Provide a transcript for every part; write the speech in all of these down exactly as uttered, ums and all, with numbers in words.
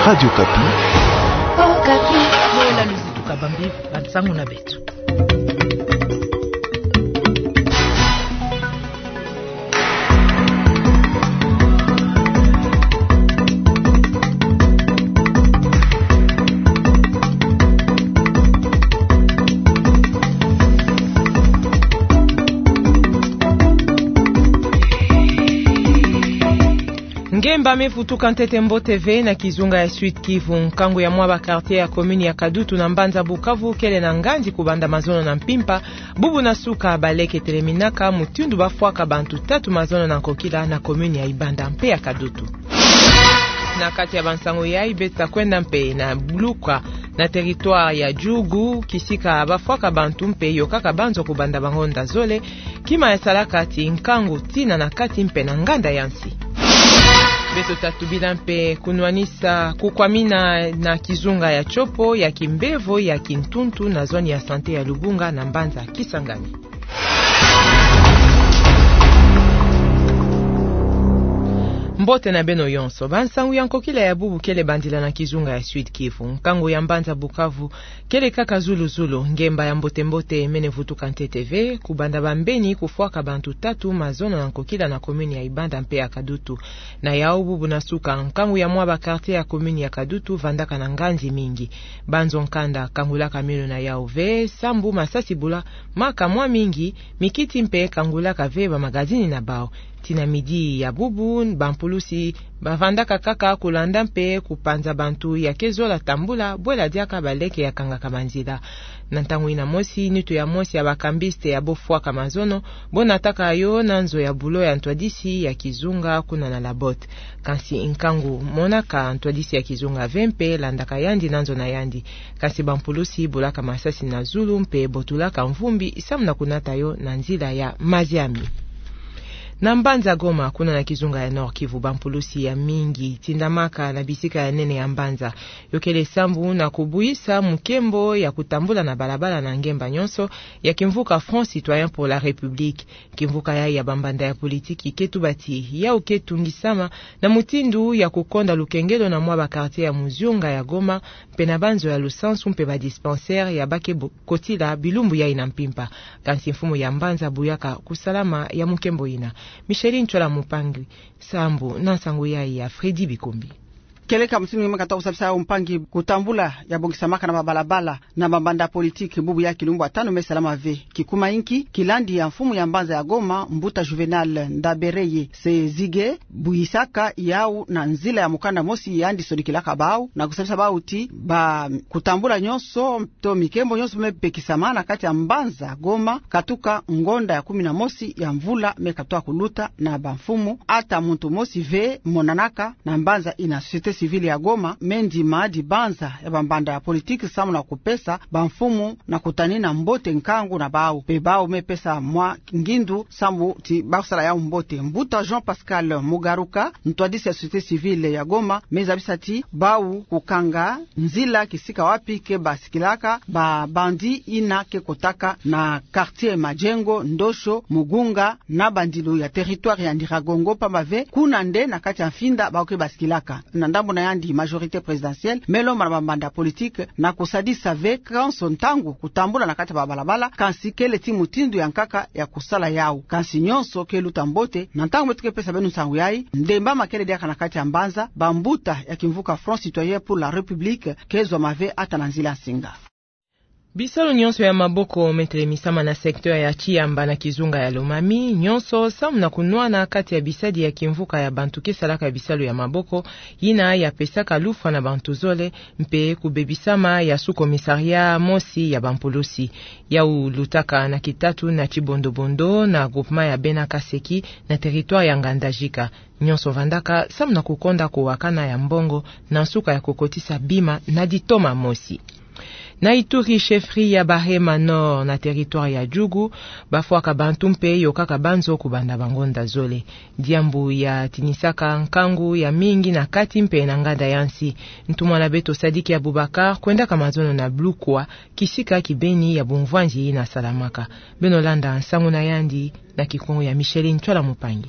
Radio Okapi. Okapi. Lola luzitu kabambi bansangu na beto. Ngemba me vutuka ntete mbote ve na kizunga ya Sud-Kivu. Nkangu ya mwa ba quartier ya commune ya Kadutu na mbanza Bukavu kele na nganzi kubanda mazono na mpimpa, bubu na suka baleke teleminaka mutindu bafwaka bantu tatu mazono na nkokila na commune ya Ibanda mpe ya Kadutu. Na kati ya bansangu yayi, beto ta kwenda mpe na Bulukwa, na territoire ya Djugu, kisika bafwaka bantu mpe yokaka banzo kubanda bangonda zole, kima yasalaka ti nkangu tina na kati mpe na nganda ya nsi. Beto ta tubila mpe kunwanisa kukwamina na kizunga ya Tshopo ya kimbevo ya kintuntu na zone ya santé ya Lubunga na mbanza Kisangani. Mbote na beno yonso. Bansangu ya nkokila ya bubu kele bandila na kizunga ya Sud-Kivu. Nkangu ya mbanza Bukavu kele kaka zulu-zulu. Ngemba ya mbote-mbote mene vutuka ntete ve, kubanda bambeni kufwaka bantu tatu mazono na nkokila na commune ya Ibanda mpe ya Kadutu. Na yau, bubu na suka, nkangu ya mwa ba quartier ya commune ya Kadutu vandaka na nganzi mingi. Banzo nkanda kangulaka milu na yau ve, sambu masasi bula maka mwa mingi, mikiti mpe kangulaka ve bamagazini na bau. Tina midi ya bubu, bampulusi bavandaka kaka kulanda mpe kupanza bantu ya ke zola tambula, bwela diaka baleke ya kangaka banzila. Na ntangu ina mosi, nitu ya mosi ya ba cambistes ya bofwaka mazono, bonataka yo na nzo ya bulo ya ntwadisi ya kizunga kuna na Labotte. Kansi nkangu monaka ntwadisi ya kizunga ve mpe landaka yandi na nzo na yandi. Kansi bampulusi bulaka masasi na zulu mpe botulaka mvumbi samu na kunata yo na nzila ya maziami. Na mbanza Goma, kuna na kizunga ya Nord-Kivu, bampulusi ya mingi tindamaka na bisika ya nene ya mbanza. Yo kele sambu na kubwisa mukembo ya kutambula na balabala na ngemba nyonso ya kimvuka Front Citoyen pour la République. Kimvuka yayi ya bambanda ya politiki ke tuba ti yau ke tungisama na mutindu ya kukonda lukengelo na mwa ba quartier ya muzunga ya Goma, mpe na banzo ya lusansu mpe ba dispensaire ya ba ke bo-, kotila bilumbu yayi na mpimpa. Kansi mfumu ya mbanza buyaka kusalama ya mukembo ina. Micheline Ntsola Mpangi, sambu na nsangu yayi ya Freddy Bikumbi. Kieleka mutindu nge me kata kusabisa yau mpangi, kutambula ya bongisamaka na babalabala na bambanda politiki bubu ya kilumbu ya tanu me salama ve. Kikuma inki? Kilandi ya mfumu ya mbanza ya Goma, mbuta Juvenal Ndabereye Sezige, buyisaka yau na nzila ya mukanda mosi yandi sonikilaka bau, na kusabisa bau ti ba kutambula nyonso to mikembo nyonso me pekisama na kati ya mbanza Goma, katuka ngonda ya kumi na mosi ya mvula me katoa kuluta, na bamfumu ata muntu mosi ve monanaka na mbanza ina. Société civile ya Goma me ndima dibanza ya bambanda ya politiki samu na kupesa bamfumu na kutanina mbote nkangu na bau, mpe bau me pesa mwa ngindu sambu ti ba kusala yau mbote. Mbuta Jean Pascal Mugaruka, ntwadisi ya société civile ya Goma, me zabisa ti bau kukanga nzila kisika wapi ke basikilaka ba bandit ina ke kotaka na quartier Majengo, Ndosho, Mugunga, na bandilu ya territoire ya Nyiragongo, pamba ve kuna nde na kati ya mfinda bau ke basikilaka. Na ndambu na yandi, majorité présidentielle me lomba na bambanda politique na kusadisa ve kanso ntangu kutambula na kati ya babalabala, kansi kele ti mutindu ya nkaka ya kusala yau. Kansi nyonso ke luta mbote. Na ntangu beto ke pesa beno nsangu yayi, ndembama kele diaka na kati ya mbanza, bambuta ya kimvuka Front Citoyen pour la République ke zwama ve ata na nzila nsinga. Bisalu nyonso ya maboko me telemisama na secteur ya Tchiamba na kizunga ya Lomami, nyonso samu na kunwana kati ya bisadi ya kimvuka ya bantu ke salaka bisalu ya maboko, yina ya pesaka lufwa na bantu zole, mpe kubebisama ya sous-commissariat mosi ya bampulusi. Yau lutaka na kitatu na Tchibondo-bondo na groupement ya Bena-Kaseki na territoire ya Ngandajika. Nyonso vandaka samu na kukonda kuwakana ya mbongo na nsuka ya kukotisa bima na ditoma mosi. Na Ituri, chefferie ya Bahema Nord na territoire ya Djugu, bafwaka bantu mpe yokaka banzo kubanda bangonda zole. Diambu ya tinisaka nkangu ya mingi na kati mpe na nganda ya nsi. Ntumwa na beto Sadiki Abubakar kwendaka mazono na Blukwa, kisika kibeni ya bumvwanzi yina salamaka. Beno landa nsangu na yandi na Kikongo ya Micheline Ntsola Mpangi.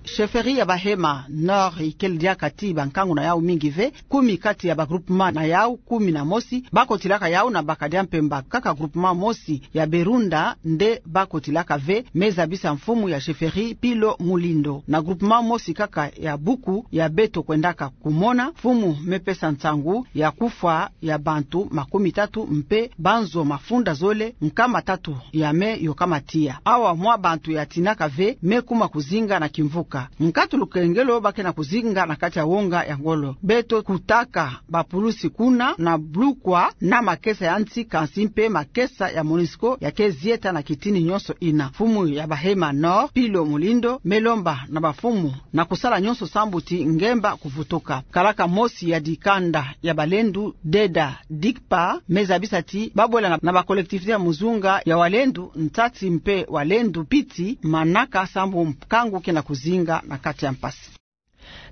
Chefferie ya Bahema Nord ikele diaka ti bankangu na yau mingi ve. Kumi kati ya ba groupement na yau kumi na mosi bakotilaka yau na baka dia mpemba. Kaka groupement mosi ya Berunda nde bakotilaka ve, me zabisa mfumu ya chefferie Pilo Mulindo. Na groupement mosi kaka ya Buku ya beto kwendaka kumona, mfumu me pesa nsangu ya kufwa ya bantu makumi tatu mpe banzo mafunda zole nkama tatu ya me yokama tiya. Awa mwa bantu yatinaka ve me kuma kuzinga na kimvuka. Nkatu lukengelo ba ke na kuzinga na kati ya wonga ya ngolo. Beto kutaka bapulusi kuna na blukwa na makesa ya nsi, kansi mpe makesa ya MONUSCO ya ke zieta na kitini nyonso ina. Mfumu ya Bahema Nord, Pilo Mulindo, me lomba na bamfumu na kusala nyonso sambu ti ngemba kuvutuka. Kalaka mosi ya dikanda ya balendu, Deda Dikpa, me zabisa ti ba bwela na, na ba collectivité ya muzunga ya walendu ntati mpe walendu piti manaka sambu nkangu ke na kuzinga na kati ya mpasi.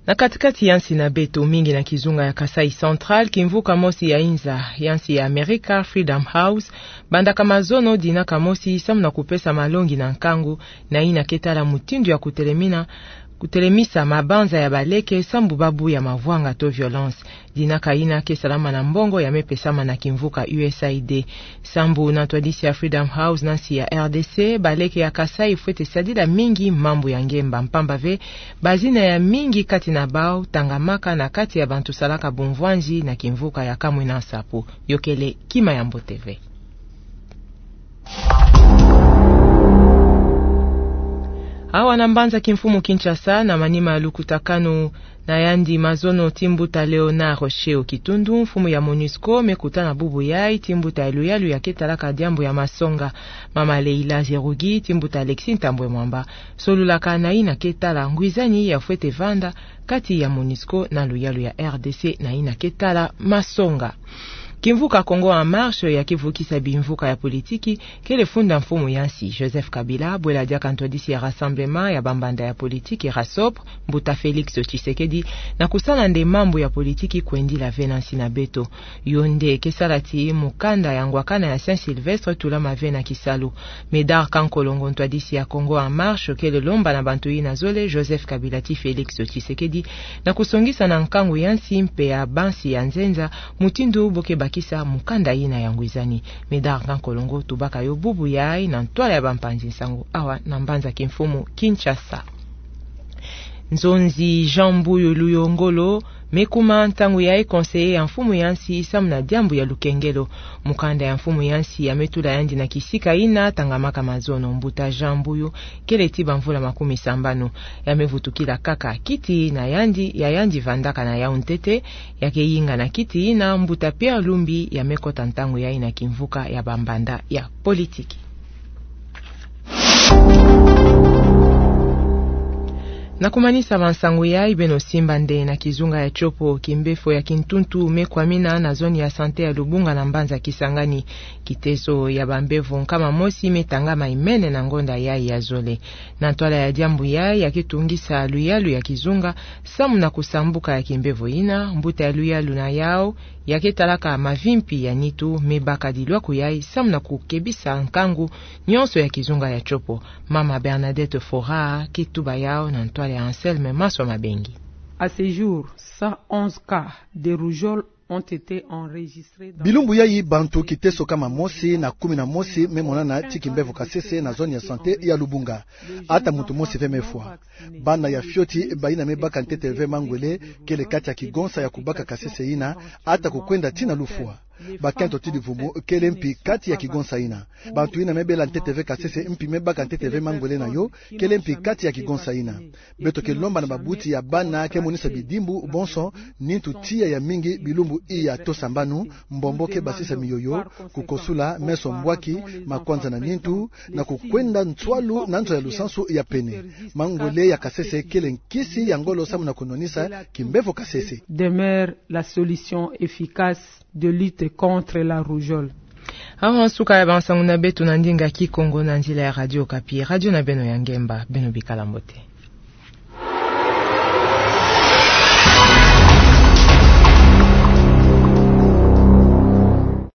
Na kati-kati ya nsi na beto, mingi na kizunga ya Kasaï Central, kimvuka mosi ya inza ya nsi ya Amerika, Freedom House, bandaka mazono dinaka mosi samu na kupesa malongi na nkangu na ina ke tala mutindu ya kutelemina, kutelemisa mabanza ya baleke sambu babu ya mavwanga to violence. Dinaka ina ke salama na mbongo ya me pesama na kimvuka U S A I D. Sambu na ntwadisi ya Freedom House na nsi ya R D C, baleke ya Kasaï fwete sadila mingi mambu ya ngemba, mpamba ve bazina ya mingi kati na bau tangamaka na kati ya bantu salaka bumvwanzi na kimvuka ya kamwina nsapu. Yokele kima ya mbote ve. Awa na mbanza kimfumu Kinshasa, na manima ya lukutakanu na yandi mazono ti mbuta Léonard Sheo Kitundu, mfumu ya MONUSCO, me kutana bubu yai ti mbuta ya luyalu ya ke talaka diambu ya masonga, mama Leila Zerugi, ti mbuta Alexis Ntambwe Mwamba, solulaka na ina ke tala ngwizani ya fwete vanda kati ya MONUSCO na luyalu ya R D C na ina ke tala masonga. Kimvuka Congo en Marche ya ke vukisa bimvuka ya politiki kele funda mfumu ya nsi Joseph Kabila, bwela diaka ntwadisi ya Rassemblement ya bambanda ya politiki, RASSOP, mbuta Félix Tshisekedi, na kusala nde mambu ya politiki kwendila ve na nsi na beto. Yo nde ke sala ti mukanda ya ngwakana ya Saint-Sylvestre tulama ve na kisalu. Médard Kankolongo, ntwadisi ya Congo en Marche, kele lomba na bantu ina zole Joseph Kabila ti Félix Tshisekedi na kusongisa na nkangu ya nsi mpe ya bansi ya nzenza mutindu bo ke bakisa mukanda ina ya ngwizani. Médard Kankolongo tubaka yo bubu yai na ntwala ya bampanzi nsangu awa na mbanza kimfumu Kinshasa. Nzonzi Jean Mbuyu Luyongolo me kuma ntangu yai conseiller ya mfumu ya nsi samu na diambu ya lukengelo. Mukanda ya mfumu ya nsi ya me tula yandi na kisika ina tangamaka mazono. Mbuta Jean Mbuyu kele ti bamvula makumi sambanu. Ya me vutukila kaka kiti na yandi ya yandi vandaka na yau ntete. Ya ke yinga na kiti ina mbuta Pierre Lumbi ya me kota ntangu yai na kimvuka ya bambanda ya politiki. Na kumanisa bansangu yai, beno simba nde na kizunga ya Tshopo, kimbefo ya kintuntu me kwamina na zone ya santé ya Lubunga na mbanza Kisangani. Kiteso ya bambevo nkama mosi me tangama imene na ngonda yai ya zole. Na ntwala ya diambu yai, ya ke tungisa luyalu ya kizunga samu na kusambuka ya kimbevo ina. Mbuta ya luyalu na yau ya ke talaka mavimpi ya nitu me baka dilwaku yai samu na kukebisa nkangu nyonso ya kizunga ya Tshopo. Mama Bernadette Fora ke tuba yau na ntwala ya Anselme Maswa Mabengi. À ce jour, cent onze cas de rougeole ont été enregistrés dans... Bilumbu yai bantu kiteso kama mosi na kumi na mosi me monana ti kimbevo kasese na zone ya santé ya Lubunga. Ata muntu mosi ve me fwa. Bana ya fioti bayina me baka ntete ve mangwele kele kati ya kigonsa ya kubaka kasese ina, ata kukwenda tii na lufwa. Bakento ti divumu kele mpi kati ya kigonsa ina. Bantu ina me bela ntete ve kasese mpi me baka ntete ve mangwele na yo kele mpi kati ya kigonsa ina. Beto ke lomba na babuti ya bana ke monisa bidimbu bonso, nintu tiya ya mingi bilumbu iya to sambanu, mbombo ke basisa miyoyo, kukosula, meso mbwaki, makwanza na nintu, na kukwenda nswalu na nzo ya lusansu ya pene. Mangwele ya kasese kele nkisi ya ngolo samu na kunwanisa kimbevo kasese. Demeure la solution efficace de lutte contre la rougeole. Awa nsuka ya bansangu na beto na ndinga Kikongo na nzila ya Radio Okapi, radio na beno ya ngemba. Beno bikala mbote.